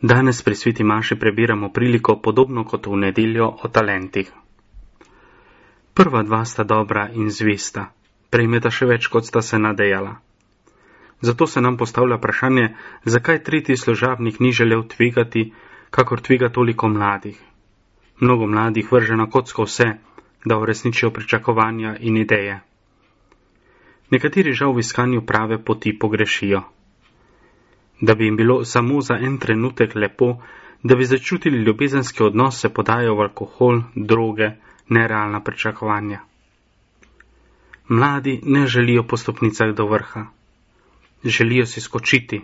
Danes pri sveti maši prebiramo priliko podobno kot v nedeljo o talentih. Prva dva sta dobra in zvesta, prejmeta še več, kot sta se nadejala. Zato se nam postavlja vprašanje, zakaj tretji služabnik ni želel tvegati, kakor tvega toliko mladih. Mnogo mladih vrže na kocko vse, da uresničijo pričakovanja in ideje. Nekateri žal v iskanju prave poti pogrešijo. Da bi jim bilo samo za en trenutek lepo, da bi začutili ljubezenski odnos, se podajo v alkohol, droge, nerealna pričakovanja. Mladi ne želijo po stopnicah do vrha. Želijo si skočiti.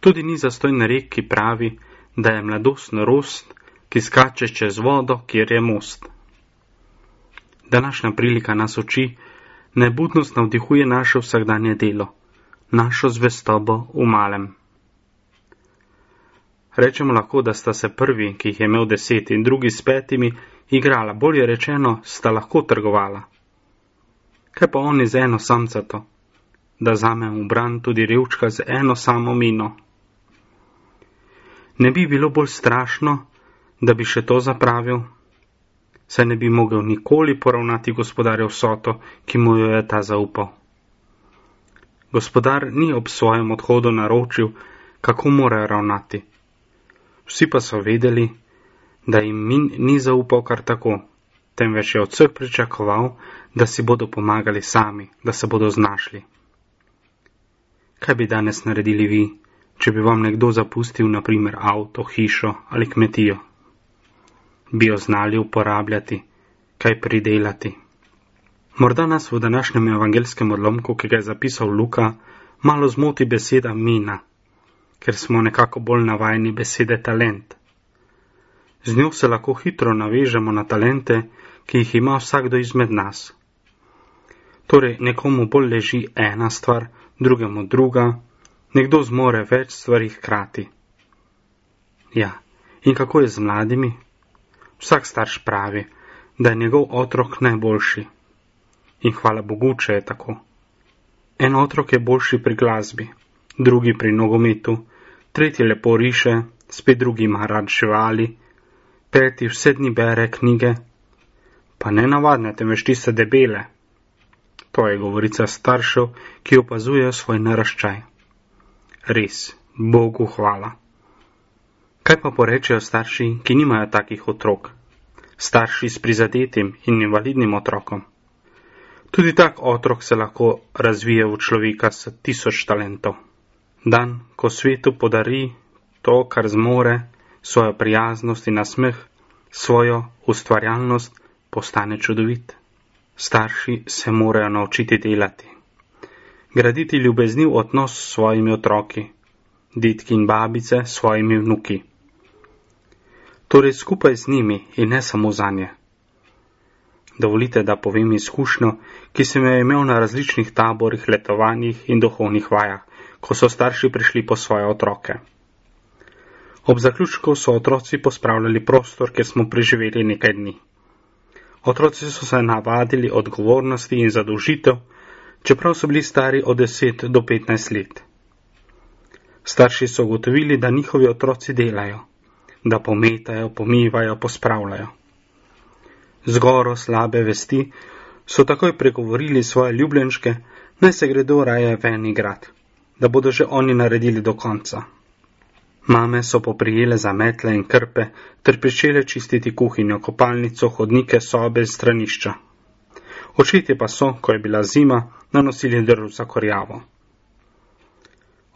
Tudi ni zastojn rek, ki pravi, da je mladost norost, ki skače čez vodo, kjer je most. Današnja prilika nas uči, naj budnost navdihuje naše vsakdanje delo, našo zvestobo v malem. Rečemo lahko, da sta se prvi, ki jih je imel 10, in drugi s 5, igrala, bolje rečeno, sta lahko trgovala. Kaj pa oni z eno samcato, da zamem v bran tudi revčka z eno samo mino? Ne bi bilo bolj strašno, da bi še to zapravil, saj ne bi mogel nikoli poravnati gospodarja vsoto, ki mu jo je ta zaupal. Gospodar ni ob svojem odhodu naročil, kako mora ravnati. Vsi pa so vedeli, da jim ni zaupal kar tako, temveč je od vseh pričakoval, da si bodo pomagali sami, da se bodo znašli. Kaj bi danes naredili vi, če bi vam nekdo zapustil, na primer, avto, hišo ali kmetijo? Bi jo znali uporabljati, kaj pridelati? Morda nas v današnjem evangelskem odlomku, ki ga je zapisal Luka, malo zmoti beseda mina, ker smo nekako bolj navajeni besede talent. Z njo se lahko hitro navežemo na talente, ki jih ima vsakdo izmed nas. Torej, nekomu bolj leži ena stvar, drugemu druga, nekdo zmore več stvari hkrati. Ja, in kako je z mladimi? Vsak starš pravi, da je njegov otrok najboljši. In hvala Bogu, če je tako. En otrok je boljši pri glasbi, drugi pri nogometu, tretji lepo riše, spet drugi ima rad živali, 5 vse dni bere knjige, pa ne navadne, temveč tiste debele. To je govorica staršev, ki opazujejo svoj naraščaj. Res, Bogu hvala. Kaj pa porečejo starši, ki nimajo takih otrok? Starši s prizadetim in invalidnim otrokom? Tudi tak otrok se lahko razvije v človeka s 1000 talentov. Dan, ko svetu podari to, kar zmore, svojo prijaznost in nasmeh, svojo ustvarjalnost, postane čudovit. Starši se morajo naučiti delati. Graditi ljubezniv odnos s svojimi otroki, dedki in babice s svojimi vnuki. Torej skupaj z njimi in ne samo zanje. Dovolite, da povem izkušnjo, ki sem jo imel na različnih taborih, letovanjih in duhovnih vajah, ko so starši prišli po svoje otroke. Ob zaključku so otroci pospravljali prostor, kjer smo preživeli nekaj dni. Otroci so se navadili odgovornosti in zadolžitev, čeprav so bili stari od 10 do 15 let. Starši so ugotovili, da njihovi otroci delajo, da pometajo, pomivajo, pospravljajo. Zgoro slabe vesti so takoj pregovorili svoje ljubljenčke, naj se gredo raje ven igrat, da bodo že oni naredili do konca. Mame so poprijele za metle in krpe ter pričele čistiti kuhinjo, kopalnico, hodnike, sobe in stranišča. Očetje pa so, ko je bila zima, nanosili drv za kurjavo.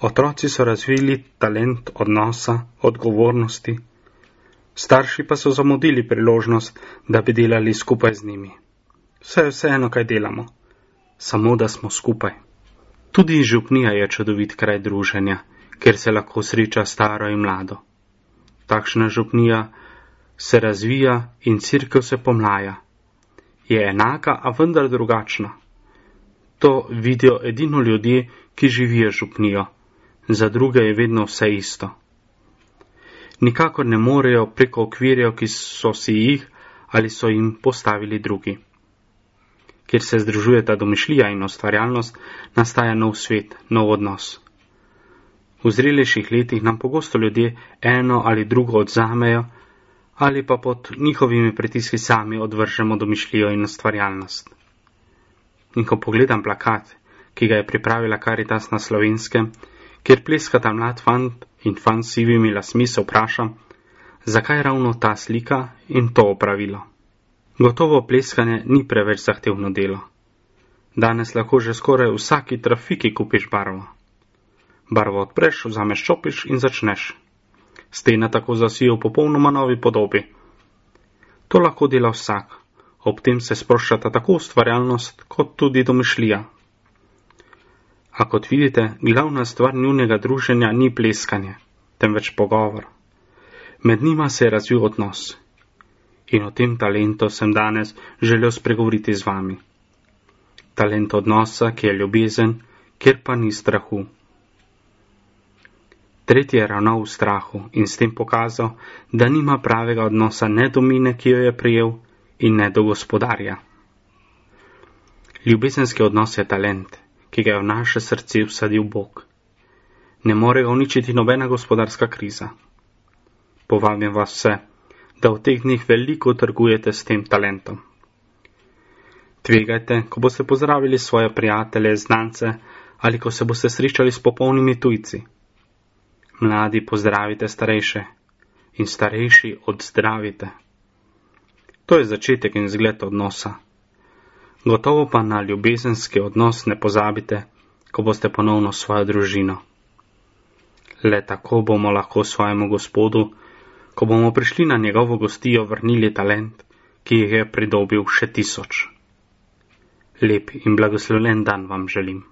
Otroci so razvili talent odnosa, odgovornosti, starši pa so zamudili priložnost, da bi delali skupaj z njimi. Vse je vseeno, kaj delamo, samo da smo skupaj. Tudi župnija je čudovit kraj druženja, kjer se lahko sreča staro in mlado. Takšna župnija se razvija in cerkev se pomlaja. Je enaka, a vendar drugačna. To vidijo edino ljudje, ki živijo župnijo. Za druge je vedno vse isto. Nikakor ne morejo preko okvirjev, ki so si jih ali so jim postavili drugi. Kjer se združuje ta domišljija in ustvarjalnost, nastaja nov svet, nov odnos. V zrelejših letih nam pogosto ljudje eno ali drugo odzamejo, ali pa pod njihovimi pritiski sami odvržemo domišljijo in ustvarjalnost. In ko pogledam plakat, ki ga je pripravila Karitas na Slovenskem, kjer pleskata mlad fant in fant s sivimi lasmi, se vprašam, zakaj ravno ta slika in to opravilo. Gotovo pleskanje ni preveč zahtevno delo. Danes lahko že skoraj v vsaki trafiki kupiš barvo. Barvo odpreš, vzameš čopič in začneš. Stene tako zasijo v popolnoma novi podobi. To lahko dela vsak, ob tem se sproščata tako ustvarjalnost kot tudi domišljija. A kot vidite, glavna stvar njunega druženja ni pleskanje, temveč pogovor. Med njima se je razvil odnos. In o tem talentu sem danes želel spregovoriti z vami. Talent odnosa, ki je ljubezen, kjer pa ni strahu. Tretji je ravnal v strahu in s tem pokazal, da nima pravega odnosa ne do mine, ki jo je prijel, in ne do gospodarja. Ljubezenski odnos je talent, ki ga je v naše srce vsadil Bog. Ne more ga uničiti nobena gospodarska kriza. Povabim vas vse, da v teh dneh veliko trgujete s tem talentom. Tvegajte, ko boste pozdravili svoje prijatelje, znance ali ko se boste srečali s popolnimi tujci. Mladi pozdravite starejše in starejši odzdravite. To je začetek in zgled odnosa. Gotovo pa na ljubezenski odnos ne pozabite, ko boste ponovno svojo družino. Le tako bomo lahko svojemu Gospodu, ko bomo prišli na njegovo gostijo, vrnili talent, ki jih je pridobil še 1000. Lep in blagoslovljen dan vam želim.